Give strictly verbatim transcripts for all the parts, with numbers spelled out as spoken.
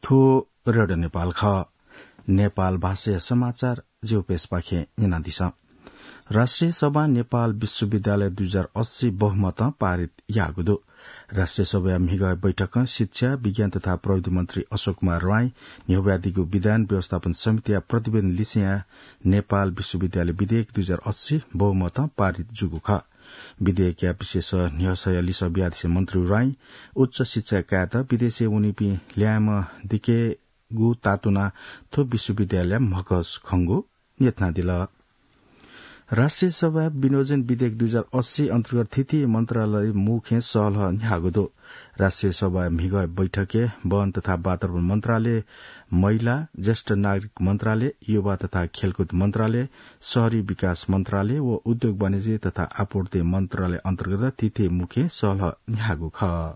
थ्व रेडियो नेपाल खः। नेपाल भाषाया समाचार ज्यू पेसपाखें न्यनादिसँ। राष्ट्रिय सभां नेपाल विश्वविद्यालय दुई हजार अस्सी बहुमतं पारित याःगु दु। राष्ट्रिय सभाया म्हिगः बैठकं शिक्षा, विज्ञान तथा प्रविधि मन्त्री अशोक कुमार राई न्ह्यब्वयादीगु विधान व्यवस्थापन समितिया प्रतिवेदन लिसेया नेपाल विश्वविद्यालय विधेयक दुई हजार अस्सी बहुमतं पारित जूगु खः। विधेयकया विशेष न्ह्यसःया लिसः बियादिसें मन्त्री राई उच्च शिक्षा कायेत विदेशय् वनीपिं ल्याय्म्ह दिकेगु तातुना थ्व विश्वविद्यालय म्हकस खंगु न्यथनादिल। राष्ट्रिय सभा विनियोजन विधेयक दुई हजार अस्सी अन्तर्गत थीथी मन्त्रालय मुखें सहलह न्ह्याःगु दु। राष्ट्रिय सभा म्हिगः बैठकय् वन तथा वातावरण मन्त्रालय, महिला, ज्येष्ठ नागरिक मन्त्रालय, युवा तथा खेलकुद मन्त्रालय, शहरी विकास मन्त्रालय व उद्योग वाणिज्य तथा आपूर्ति मन्त्रालय अन्तर्गत थीथी मुखें सहलह न्ह्याःगु खः।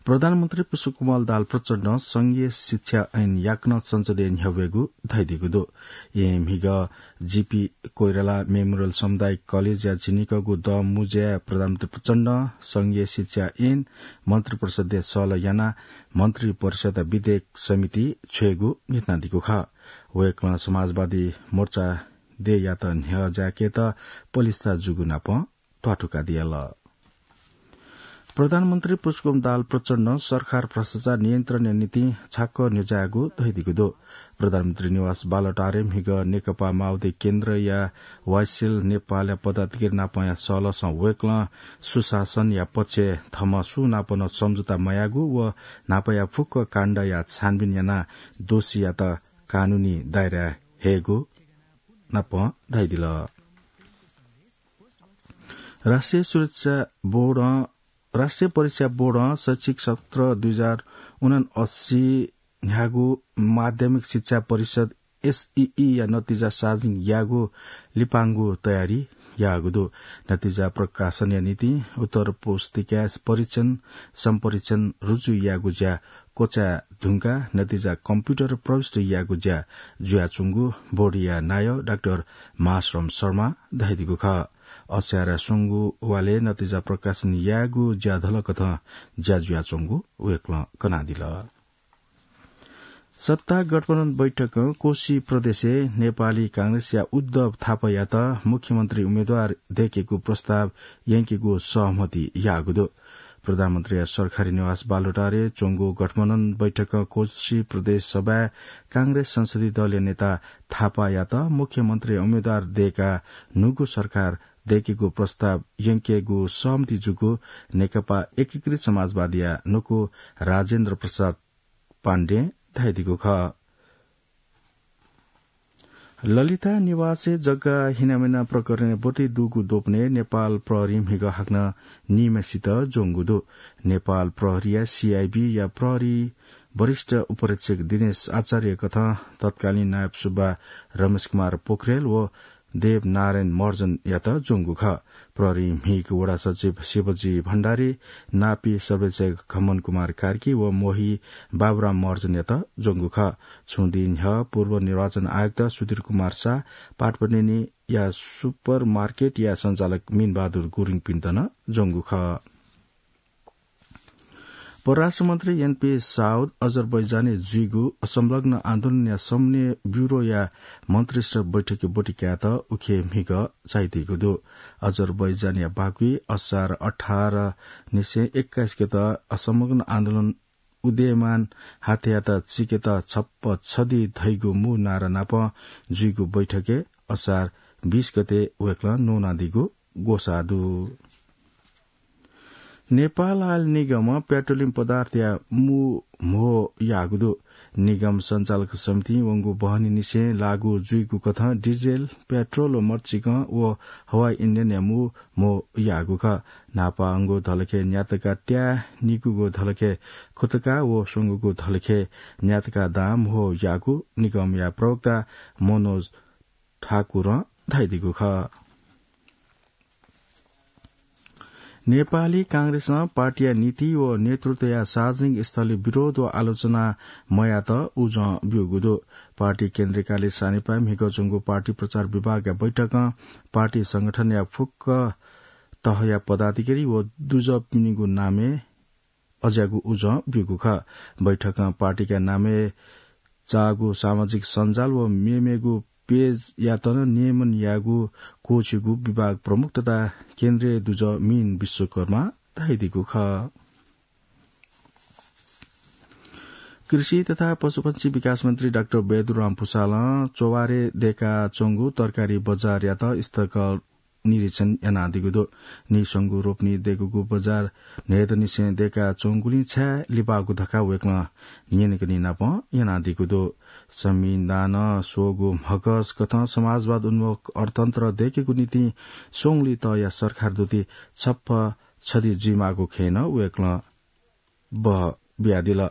प्रधानमन्त्री पुष्पकमल दाहाल प्रचण्डं संघीय शिक्षा ऐन याकनं संसदय् न्ह्यब्वयेगु धयादीगु दु। येँ म्हिगः जीपी कोइराला मेमोरियल सामुदायिक कलेजया झिंनिकःगु दँ मुँज्याय् प्रधानमन्त्री प्रचण्डं संघीय शिक्षा ऐन मन्त्रिपरिषदय् सहलह यानाः मन्त्रिपरिषदया विधेयक समिति छ्वयेगु न्ह्यथनादीगु खः। वय्कलं समाजवादी मोर्चा देय्‌यात न्ह्यज्याकेत पलिस्था जूगु नापं त्वाथुका दियाल। प्रधानमन्त्री पुष्पकमल दाहाल प्रचण्डं सरकार भ्रष्टाचार नियन्त्रणया निंतिं छाक्क न्ह्यज्याःगु धयादीगु दु। प्रधानमन्त्री निवास बालुवाटारय् म्हिगः नेकपा माओवादी केन्द्रया वाइसेल नेपालया पदाधिकारी नापंया सहलहसं वय्कलं सुशासनया पक्षय् थःम्हं सुनापं नं सम्झौता मयाःगु व न्हापाया फुक्क काण्डया छानबिन यानाः दोषीयात कानूनी दायराय् हयेगु नापं धयादिल। राष्ट्रिय सुरक्षा बोर्डं, राष्ट्रिय परीक्षा बोर्डं शैक्षिक सत्र दुई हजार उनान्सय न्ह्यागु माध्यमिक शिक्षा परिषद, एसईई या नतिजा सार्वजनिक यायेगु लिपांगु तयारी याःगु दु। नतिजा प्रकाशनया निंतिं उत्तर पुस्तिका परीक्षण, सम्परीक्षण, रुजु यायेगु ज्या क्वचाये धुंकाः नतिजा कम्प्युटर प्रविष्ट यायेगु ज्या जुयाच्वंगु बोर्डया नायः डाक्टर महाश्रम शर्मां धयादीगु खः। असारय् स्वंगू वालय् नतिजा प्रकाशन यायेगु ज्या धलकथं ज्या जुयाच्वंगु वय्कलं कनादिल। सत्ता गठबन्धन बैठकं कोशी प्रदेशय् नेपाली कांग्रेसया उद्धव थापायात मुख्यमन्त्री उम्मेद्वार दयेकेगु प्रस्ताव यंकेगु सहमति याःगु दु। प्रधानमन्त्रीया सरकारी निवास बालुवाटारय् च्वंगु गठबन्धन बैठकं कोशी प्रदेश सभाय् कांग्रेस संसदीय दलया नेता थापायात मुख्यमन्त्री उम्मेद्वार दयेकाः न्हूगु सरकार दयेकेगु प्रस्ताव यंकेगु सहमति जूगु नेकपा एकीकृत समाजवादीया न्हूगु राजेन्द्र प्रसाद पाण्डें धयादीगु खः। ललिता निवासय् जग्गा हिनामिना प्रकरणय् ब्वति दुगु द्वपनय् नेपाल प्रहरीं म्हिगः हाकनं नीम्हय्सित ज्वंगु दु। नेपाल प्रहरीया सीआइबीया प्रहरी वरिष्ठ उपरीक्षक दिनेश आचार्यकथं तत्कालीन नायब सुब्बा रमेश कुमार पोखरेल व देवनारायण महर्जनयात ज्वंगु खः। प्रहरीं म्हिगः वडा सचिव शिवजी भण्डारी, नापी सर्वेक्षक घमन कुमार कार्की व मोही बाबुराम महर्जनयात ज्वंगु खः। छुं दिं न्ह्यः पूर्व निर्वाचन आयुक्त सुधीर कुमार शाह, पाटपनेनीया सुपर मार्केटया सञ्चालक मीनबहादुर गुरुङपिन्त नं ज्वंगु खः। परराष्ट्र मन्त्री एनपी साउद अजरबैजानय् जुइगु असंलग्न आन्दोलनया समन्वय ब्यूरोया मन्त्रीस्तरीय बैठकय् ब्वति कायेत उखे म्हिगः झायादीगु दु। अजरबैजानया बाक्वय् असार अठार निसें एक्काइस गते असंलग्न आन्दोलन उदयमान हाथेयात चिकेत छप्पा छधी धइगु मू नारा नाप जुइगु बैठकय् असार बीस गते वय्कलं न्वनादीगु ग्वसाः दु। नेपाल आयल निगमं पेट्रोलियम पदार्थया मू म्हो याःगु दु। निगम सञ्चालक समितिं वंगु बहनी निसें लागू जुइगु कथं डिजेल, पेट्रोल व मर्चिकं व हवाई इन्धनया मू म्हो याःगु खः। न्हापांगु धलखय् न्यातका त्याः, निगूगु धलखय् खुतका व स्वंगूगु धलखय् न्यातका दां म्हो याःगु निगमया प्रवक्ता मनोज ठाकुरं धयादीगु खः। नेपाली कांग्रेसं पार्टीया नीति व नेतृत्वया सार्वजनिक स्थलय् विरोध व आलोचना मयायेत उजं ब्यूगु दु। पार्टी केन्द्रीय कार्यालय सानेपाय् म्हिगः च्वंगु पार्टी प्रचार विभागया बैठकं पार्टी संगठनया फुक्क तहया पदाधिकारी व दुजःपिनिगु नामय् अज्याःगु उजं ब्यूगु खः। बैठकं पार्टीका नामय् चाःगु सामाजिक सञ्जाल व मेमेगु पेजयात नं नियमन याःगु क्वःछिगु विभाग प्रमुख तथा केन्द्रीय दुजः मीन विश्वकर्मां धयादीगु खः। कृषि तथा पशुपक्षी विकास मन्त्री डाक्टर बैदुराम भुसालं च्ववारय् दय्काच्वंगु तरकारी बजारयात स्तरगत निरीक्षण यानादीगु दु। नीस्वंगू रोपनी दय्कूगु बजार न्हय्दनिसें दय्काच्वंगुलिं छाय् लिपाःगु धकाः वय्कलं न्यनेकने नाप यानादीगु दु। संविधानं स्वःगु म्हगस कथं समाजवाद उन्मुख अर्थतन्त्र दय्केगु निंतिं स्वंगुलिं तःया सरकार दुति छप्पा छधी जुइमाःगु खँय् नं वय्कलं बह बियादिल।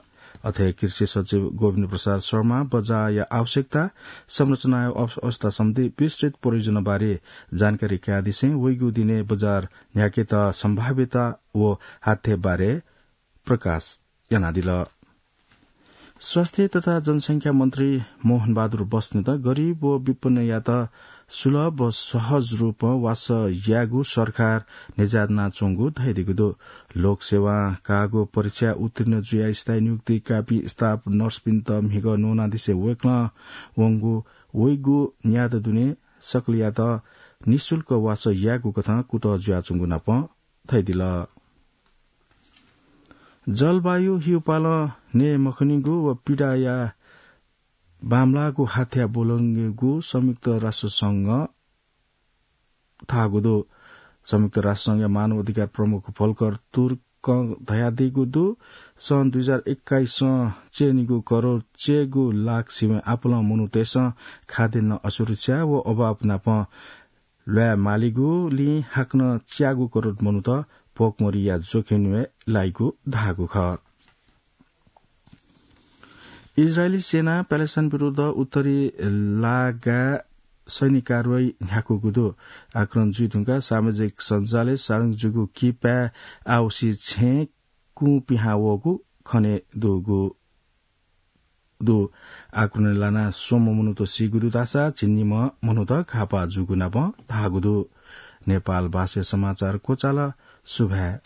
अथे कृषि सचिव गोविन्द प्रसाद शर्मा बजारया आवश्यकता, संरचनाया अव-, अवस्था सम्बन्धी विस्तृत परियोजना बारे जानकारी कयादिसें वइगु दिनय् बजार न्ह्याकेत सम्भाव्यता व हाथ्य बारे प्रकाश यानादिल। स्वास्थ्य तथा जनसंख्या मन्त्री मोहन बहादुर बस्नेत गरीब व विपन्नयात सुलभ व सहज रूपं वासः यायेगु सरकार न्ह्यज्यानाच्वंगु धयादीगु दु। लोकसेवां काःगु परीक्षा उत्तीर्ण जुयाः स्थायी नियुक्ति काःपिं स्टाफ नर्सपिन्त म्हिगः न्वनादिसें वय्कलं वंगु वइगु न्यादँ दुने सकलयात निशुल्क वासः यायेगु कथं कुतः जुयाच्वंगु नाप धयादिल। जलवायु हिउपालं नये मखनीगु व पीडाया बांमलाःगु हाथ्या ब्वलंगु संयुक्त राष्ट्र संघं धाःगु दु। संयुक्त राष्ट्र संघया मानव अधिकार प्रमुख भोल्कर तुर्कं धयादीगु दु, सन् दुई हजार एक्काइसं च्यनीगु करोड च्यय्गु लाख सिबें आपालं मनूतय्सं खाद्यान्न असुरक्षा व अभाव नाप ल्वाये मालीगुलिं हाकनं च्यागू करोड मनूत भोकमरीया जोखिमय् लाइगु धाःगु खः। इजरायली सेनां प्यालेस्टाइन विरुद्ध उत्तरी लागाय् सैनिक कारवाही न्ह्याकूगु दु। आक्रमण जुइ धुंकाः सामाजिक सञ्जालय् सार्वजनिक जूगु किपाय् आवसी छेँय् कुँ पिहां वःगु खने दुगु दु। आक्रमणय् लानाः स्वम्ह मनूत सीगु दु धाःसा झिंनिम्ह मनूत घाःपाः जूगु नाप धाःगु दु। नेपाल भाषाय् समाचार क्वचाल। सुभाय्।